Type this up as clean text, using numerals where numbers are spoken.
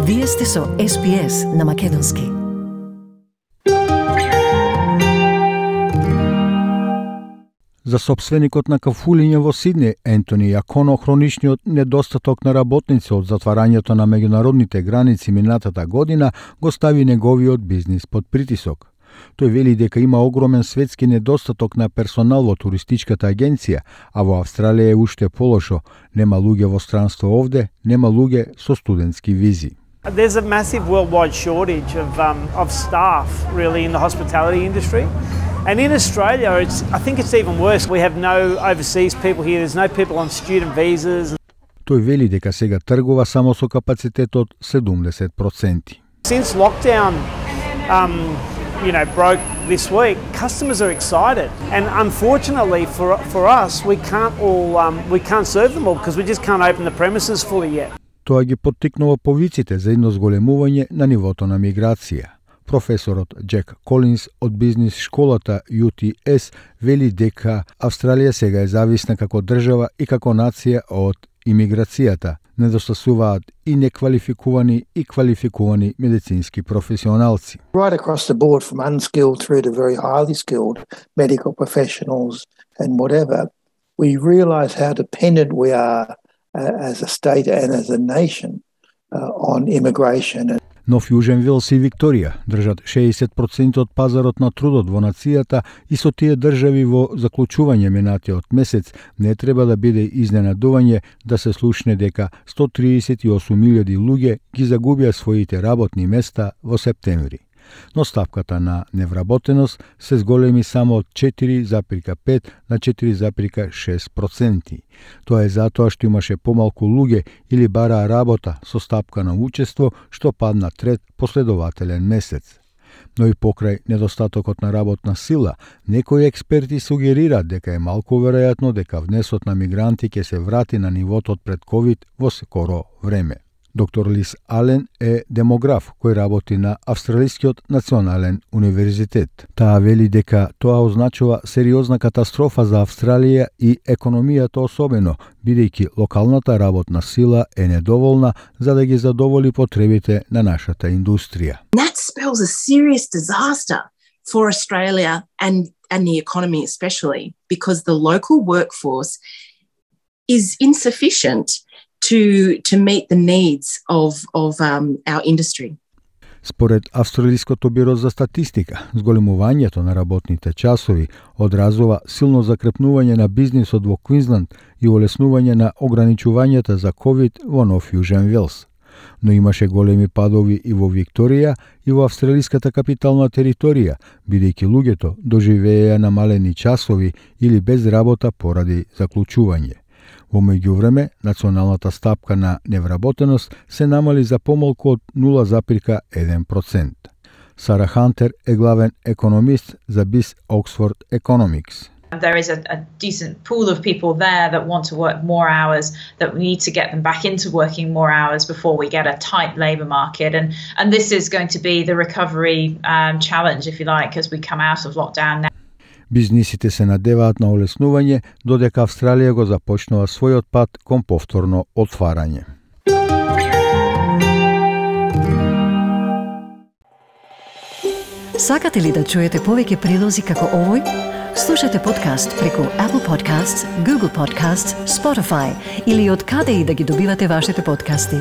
Вие сте со SPS на Македонски. За сопственикот на кафулиње во Сиднеј, Ентони Јаконо, хроничниот недостаток на работници од затварањето на меѓународните граници минатата година го стави неговиот бизнис под притисок. Тој вели дека има огромен светски недостаток на персонал во туристичката агенција, а во Австралија е уште полошо. Нема луѓе во странство овде, нема луѓе со студентски визи. There's a massive worldwide shortage of staff really in the hospitality industry. And in Australia, I think it's even worse. We have no overseas people here. There's no people on student visas. Тој вели дека сега тргува само со капацитет од 70%. Since lockdown, broke this week, customers are excited, and unfortunately for us, we can't serve them all because we just can't open the premises fully yet. Тоа ги поттикнува повиците за едно зголемување на нивото на миграција. Професорот Джек Колинс од бизнис школата UTS вели дека Австралија сега е зависна како држава и како нација од имиграцијата. Недостасуваат и неквалификувани и квалификувани медицински професионалци. Right across the board, from unskilled through to very highly skilled medical professionals and whatever, we realise how dependent we are as a state and as a nation on immigration. Но Јужен Велс и Викторија држат 60% од пазарот на трудот во нацијата и со тие држави во заклучување минатиот месец не треба да биде изненадување да се слушне дека 138.000 луѓе ги загубија своите работни места во септември. Но ставката на невработеност се зголеми само од 4,5 на 4,6%. Тоа е затоа што имаше помалку луѓе или бараа работа со стапка на учество, што падна трет последователен месец. Но и покрај недостатокот на работна сила, некои експерти сугерираат дека е малку веројатно дека внесот на мигранти ќе се врати на нивото од пред ковид во скоро време. Доктор Лис Ален е демограф кој работи на Австралискиот национален универзитет. Таа вели дека тоа означува сериозна катастрофа за Австралија и економијата особено, бидејќи локалната работна сила е недоволна за да ги задоволи потребите на нашата индустрија. That spells a serious disaster for Australia and the economy especially, because the local workforce is insufficient to meet the needs of our industry. Според Австралиското биро за статистика, зголемувањето на работните часови одразува силно закрепнување на бизнисот во Квинсленд и олеснување на ограничувањата за ковид во Нов Јужен Велс. Но имаше големи падови и во Викторија и во австралиската капитална територија, бидејќи луѓето доживееја намалени часови или без работа поради заклучување. Во меѓувреме, националната стапка на невработеност се намали за помалку од 0,1%. Сара Хантер е главен економист за BIS Oxford Economics. There is a decent pool of people there that want to work more hours, that we need to get them back into working more hours before we get a tight labour market. And this is going to be the recovery challenge, if you like, as we come out of lockdown now. Бизнисите се надеваат на олеснување додека Австралија го започнува својот пат кон повторно отварање. Сакате ли да чуете повеќе прилози како овој? Слушате подкаст преку Apple Podcasts, Google Podcasts, Spotify или од каде и да ги добивате вашите подкасти.